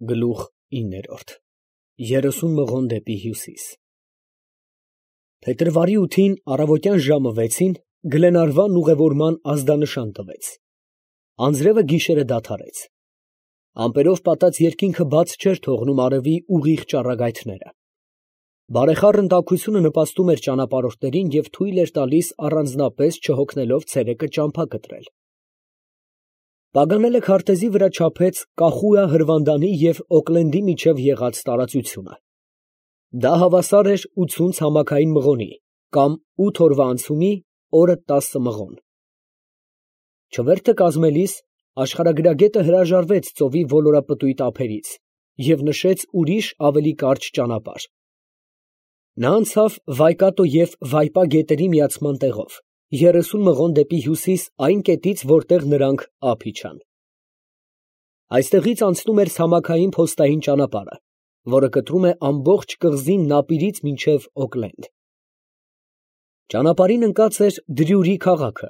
Գլուխ 9 30 մղոն դեպի հյուսիս Փետրվարի 8-ին առավոտյան ժամը 6-ին Գլենարվանն ուղևորման ազդանշան տվեց։ Անձրևը գիշերը դադարեց։ Ամպերով պատած երկինքը բաց չէր թողնում արևի ուղիղ ճառագայթները։ Բարեխառն տաքությունը նպաստում էր ճանապարհորդներին և թույլ էր տալիս առանձնապես չհոգնելով ցերեկը ճամփա կտրել։ Պագանելը քարտեզի վրա չափեց Կախույա հրվանդանի և Օկլենդի միջև եղած տարածությունը։ Դա հավասար էր 80 ցամաքային մղոնի կամ 8 օրվա անցումի օրը 10 մղոն։ Չվերթը կազմելիս աշխարհագրագետը հրաժարվեց ծովի ոլորապտույտ ափերից և նշեց ուրիշ ավելի կարճ ճանապարհ։ Նա անցավ Վայկատո և Վայպա գետերի միացման տեղով 30 մղոն դեպի հյուսիս այն կետից, որտեղ նրանք ափ իջան։ Այստեղից անցնում էր ցամաքային փոստային ճանապարհը, որը կտրում է ամբողջ կղզին Նապիրից մինչև Օկլենդ։ Ճանապարհին ընկած էր Դրյուրի քաղաքը,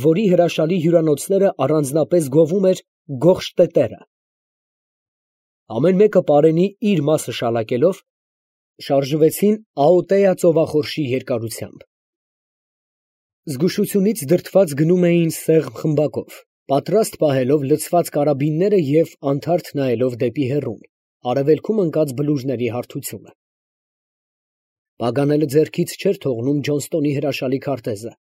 որի հրաշալի հյուրանոցները առանձնապես գովում էր Գոխշտետերը։ Ամեն մեկը պարենի իր մասը շալակելով, շարժվեցին Աոտեա ծովախորշի երկարությամբ։ Զգուշությունից դրդված գնում էին սեղմ խմբակով, պատրաստ պահելով լցված կարաբինները և անթարթ նայելով դեպի հեռուն, արևելքում ընկած բլուրների հարթությունը։ Պագանելը ձեռքից չէր թողնում Ջոնստոնի հրաշալի քարտեզը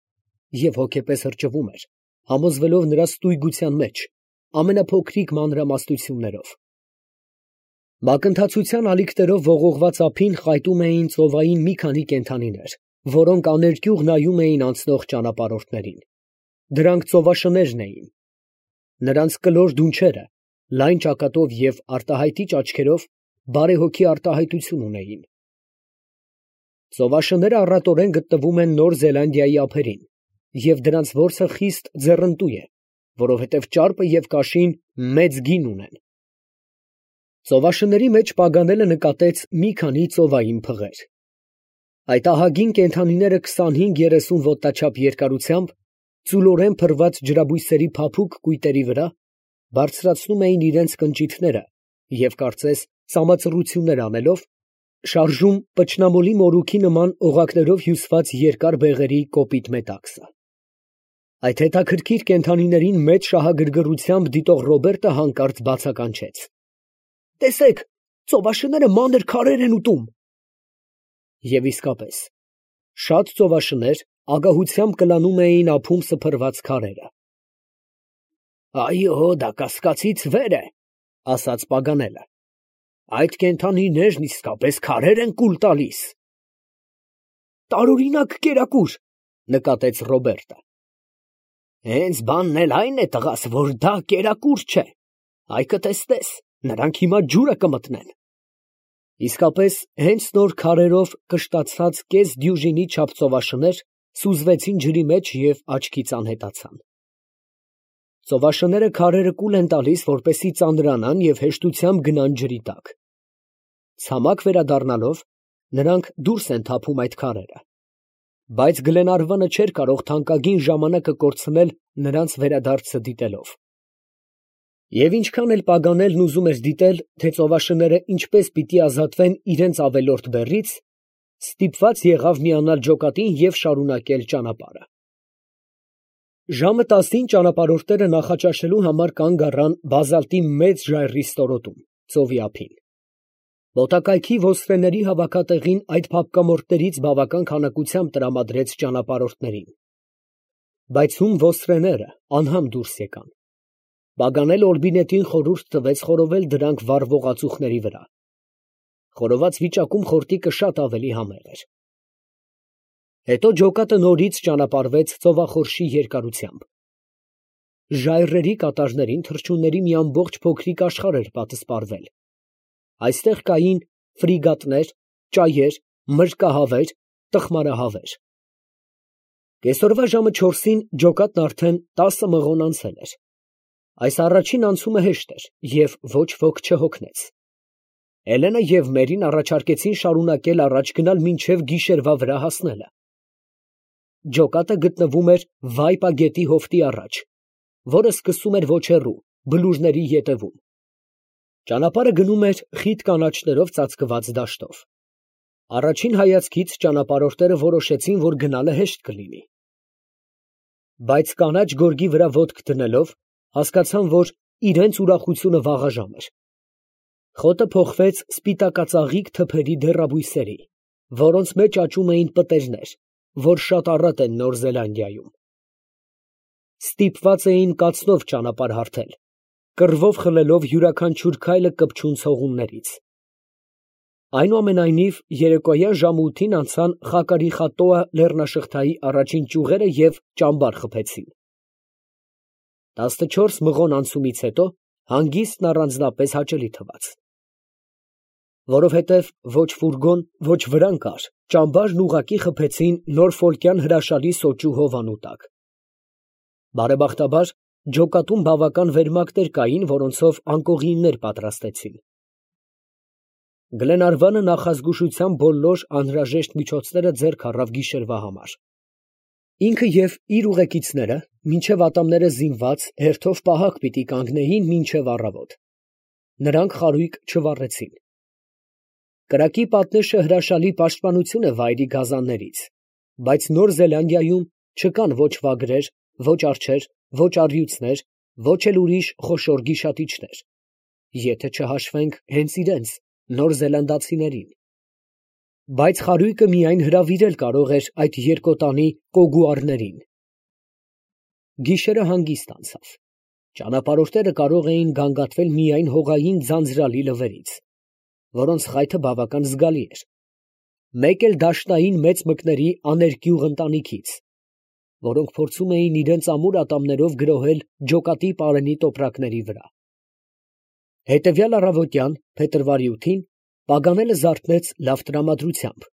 և հոգեպես հրճվում էր, համոզվելով նրա ստույգության մեջ, ամենափոքրիկ մանրամասնություններով։ Մակընթացության ալիքներով ողողված ափին խայտում էին ծովային մի քանի կենդանիներ, որոնք աներկյուղ նայում էին անցնող ճանապարհորդներին։ Դրանք ծովաշներն էին։ Նրանց կլոր դունչերը, լայն ճակատով և արտահայտիչ աչքերով բարեհոգի արտահայտություն ունեին։ Ծովաշները առատորեն գտնվում են Նոր Զելանդիայի ափերին, և դրանց որսը խիստ ձեռնտու է, որովհետև ճարպը և կաշին մեծ գին ունեն։ Ծովաշների մեջ Պագանելը նկատեց մի քանի ծովային փղեր։ Այդ ահագին կենդանիները 25-30 ոտնաչափ երկարությամբ, ծուլորեն փռված ջրաբույսերի փափուկ կույտերի վրա, բարձրացնում էին իրենց կնճիթները և, կարծես սամածռություններ անելով, շարժում պճնամոլի մորուքի նման օղակներով հյուսված երկար բեղերի կոպիտ մետաքսը։ Այդ հետաքրքիր կենդանիներին մեծ շահագրգռությամբ դիտող Ռոբերտը հանկարծ բացականչեց. ֊ Տեսեք, ծովաշները մանր քարեր են ուտում։ Եվ իսկապես, շատ ծովաշներ ագահությամբ կլանում էին ափում սփռված քարերը։ Այո, դա կասկածից վեր է, ֊ ասաց Պագանելը։ Այդ կենդանիներն իսկապես քարեր են կուլ տալիս։ Տարօրինակ կերակուր, ֊ նկատեց Ռոբերտը։ Հենց բանն էլ այն է, տղաս, որ դա կերակուր չէ։ Այ կտեսնես, նրանք հիմա ջուրը կմտնեն։ Իսկապես, հենց նոր քարերով կշտացած կես դյուժինի չափ ծովաշներ սուզվեցին ջրի մեջ և աչքից անհետացան։ Ծովաշները քարերը կուլ են տալիս, որպեսզի ծանրանան և հեշտությամբ գնան ջրի տակ։ Ցամաք վերադառնալով, նրանք դուրս են թափում այդ քարերը։ Բայց Գլենարվանը չէր կարող թանկագին ժամանակը կորցնել նրանց վերադարձը դիտելով։ Եվ ինչքան էլ Պագանելն ուզում էր դիտել, թե ծովաշները ինչպես պիտի ազատվեն իրենց ավելորդ բեռից, ստիպված եղավ միանալ ջոկատին և շարունակել ճանապարհը։ Ժամը 10-ին ճանապարհորդները նախաճաշելու համար կանգ առան բազալտի մեծ ժայռի ստորոտում, ծովի ափին։ Մոտակայքի ոսկրեների հավաքատեղին այդ փափկամորթներից բավական քանակությամբ տրամադրեց ճանապարհորդներին։ Բայց ում ոսկրեները անհամ դուրս եկան։ Պագանելը Օրբինետին խորհուրդ տվեց խորովել դրանք վառվող ածուխների վրա։ Խորոված վիճակում խորտիկը շատ ավելի համեղ էր։ Հետո ջոկատը նորից ճանապարհվեց ծովախորշի երկարությամբ։ Ժայռերի կատարներին թռչունների մի ամբողջ փոքրիկ աշխարհ էր պատսպարվել։ Այստեղ կային ֆրիգատներ, ճայեր, մրրկահավեր, տխմարահավեր։ Կեսօրվա ժամը 4-ին ջոկատն արդեն 10 մղոն անցել էր։ Այս առաջին անցումը հեշտ էր և ոչ ոք չհոգնեց։ Էլենը և Մերին առաջարկեցին շարունակել առաջ գնալ մինչև գիշերվա վրա հասնելը։ Ջոկատը գտնվում էր Վայպա գետի հովտի առաջ, որը սկսում էր ոչ հեռու, բլուրների ետևում։ Ճանապարհը գնում էր խիտ կանաչներով ծածկված դաշտով։ Առաջին հայացքից ճանապարհորդները որոշեցին, որ գնալը հեշտ կլինի։ Բայց կանաչ գորգի վրա ոտք դնելով հասկացան, որ իրենց ուրախությունը վաղաժամ էր։ Խոտը փոխվեց սպիտակածաղիկ թփերի դեռաբույսերի, որոնց մեջ աճում էին պտերներ, որ շատ առատ են Նոր Զելանդիայում։ Ստիպված էին կացնով ճանապարհ հարթել, կռվով խլելով յուրաքանչյուր քայլը կպչուն ցողուններից։ Այնուամենայնիվ, երեկոյան ժամը 8-ին անցան Խակարիխատոա լեռնաշղթայի առաջին ճյուղերը և ճամբար խփեցին։ 14 մղոն անցումից հետո հանգիստն առանձնապես հաճելի թվաց։ Որովհետև ոչ ֆուրգոն, ոչ վրան կար, ճամբարն ուղղակի խփեցին նորֆոլկյան հրաշալի սոճու հովանու տակ։ Բարեբախտաբար, ջոկատում բավական վերմակներ կային, որոնցով անկողիններ պատրաստեցին։ Գլենարվանը նախազգուշության բոլոր անհրաժեշտ միջոցները ձեռք առավ գիշերվա համար։ Ինքը և իր ուղեկիցները, մինչև ատամները զինված, հերթով պահակ պիտի կանգնեին մինչև առավոտ։ Նրանք խարույկ չվառեցին։ Կրակի պատնեշը հրաշալի պաշտպանություն է վայրի գազաններից, բայց Նոր Զելանդիայում չկան ոչ վագրեր, ոչ արջեր, ոչ առյուծներ, ոչ էլ ուրիշ խոշոր գիշատիչներ, եթե չհաշվենք հենց իրենց նոր զելանդացիներին։ Բայց խարույկը միայն հրավիրել կարող էր այդ երկոտանի կոգուարներին։ Գիշերը հանգիստ անցավ։ Ճանապարհորդները կարող էին գանգատվել միայն հողային ձանձրալի լվերից, որոնց խայթը բավական զգալի էր, մեկ էլ դաշնային մեծ մկների աներկյուղ ընտանիքից, որոնք փորձում էին իրենց ամուր ատամներով գրոհել ջոկատի պարենի տոպրակների վրա։ Հետևյալ առավոտյան, փետրվարի 8-ին, Պագանելը զարթնեց լավ տրամադրությամբ,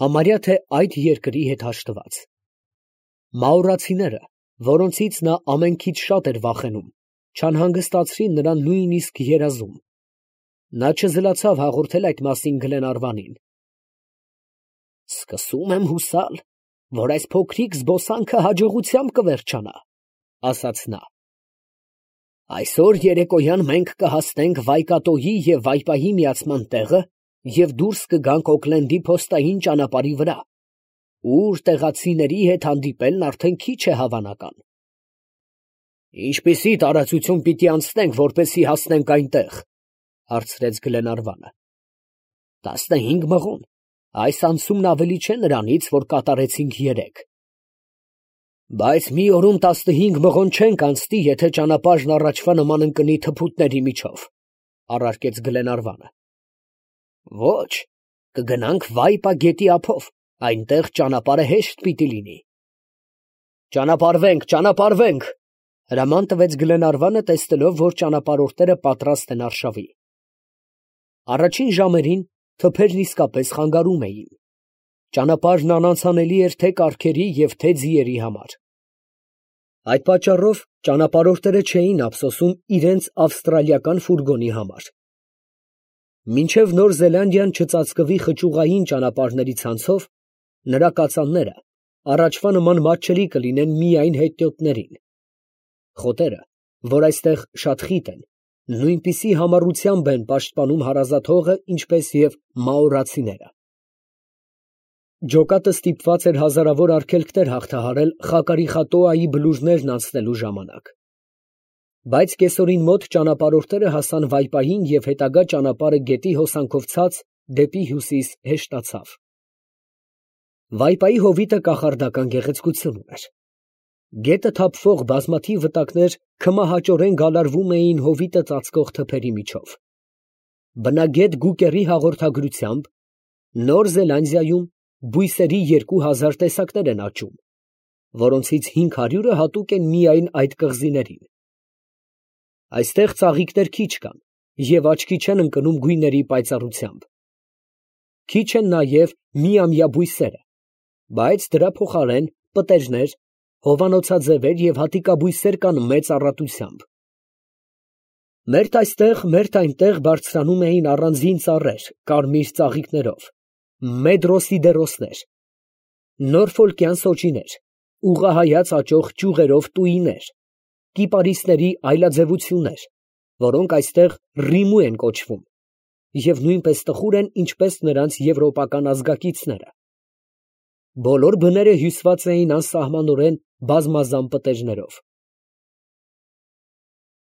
համարյա թե այդ երկրի հետ հաշտված։ Մաուրացիները, որոնցից նա ամենքից շատ էր վախենում, չանհանգստացրին նրան նույնիսկ երազում։ Նա չզլացավ հաղորդել այդ մասին Գլենարվանին։ «Սկսում եմ հուսալ, որ այս փոքրիկ զբոսանքը հաջողությամբ կվերջանա», ասաց նա։ «Այսօր երեկոյան մենք կհասնենք Վայկատոյի և Վայպայի միացման տեղը և դուրս կգանք Օքլենդի փոստային ճանապարհի վրա, ուր տեղացիների հետ հանդիպելն արդեն քիչ է հավանական»։ «Ինչպիսի տարածություն պիտի անցնենք, որպեսզի հասնենք այնտեղ», հարցրեց Գլենարվանը։ 15 մղոն, այս անցումն ավելի չէ նրանից, որ կատարեցինք երեկ։ Բայց մի օրում 15 մղոն չենք անցնի, եթե ճանապարհն առաջվա նման ընկնի թփուտների միջով, առարկեց Գլենարվանը։ Ոչ, կգնանք Վայպա գետի ափով, այնտեղ ճանապարհը հեշտ պիտի լինի։ Ճանապարհվենք, ճանապարհվենք, հրաման տվեց Գլենարվանը, տեսնելով, որ ճանապարհորդները պատրաստ են արշավի։ Առաջին ժամերին թփերն իսկապես խանգարում էին։ Ճանապարհն անանցանելի էր թե կառքերի և թե ձիերի համար։ Այդ պատճառով ճանապարհորդները չէին ափսոսում իրենց ավստրալիական ֆուրգոնի համար։ Մինչև Նոր Զելանդիան չծածկվի խճուղային ճանապարհների ցանցով, նրա կածանները առաջվա նման մատչելի կլինեն միայն հետիոտներին։ Խոտերը, որ այստեղ շատ խիտ են, նույնպիսի համառությամբ են պաշտպանում հարազատ հողը, ինչպես և մաորացիները։ Ջոկատը ստիպված էր հազարավոր արգելքներ հաղթահարել Խակարիխատոայի բլուրներն անցնելու ժամանակ։ Բայց կեսօրին մոտ ճանապարհորդները հասան Վայպային և հետագա ճանապարհը գետի հոսանքով ցած դեպի հյուսիս հեշտացավ։ Վայպայի հովիտը կախարդական գեղեցկություն ուներ։ Գետը թափվող բազմաթիվ վտակներ քմահաճորեն գալարվում էին հովիտը ծածկող թփերի միջով։ Բնագետ Գուկերի հաղորդագրությամբ Նոր Զելանդիայում բույսերի 2000 տեսակներ են աճում, որոնցից 500-ը հատուկ են միայն այդ կղզիներին։ Այստեղ ծաղիկներ քիչ կան և աչքի չեն ընկնում գույների պայծառությամբ։ Քիչ են նաև միամյա բույսերը, բայց դրա փոխարեն պտերներ, հովանոցաձևեր և հատիկաբույսեր կան մեծ առատությամբ։ Մերթ այստեղ, մերթ այնտեղ բարձրանում էին առանձին ծառեր կարմիր ծաղիկներով, մեդրոսիդերոսներ, նորֆոլկյան սոճիներ, ուղղահայաց աճող ճյուղերով տուիներ, կիպարիսների այլաձևություններ, որոնք այստեղ Ռիմու են կոչվում, և նույնպես տխուր են, ինչպես նրանց եվրոպական ազգակիցները։ Բոլոր բները հյուսված էին անսահմանորեն բազմազան պտեժներով։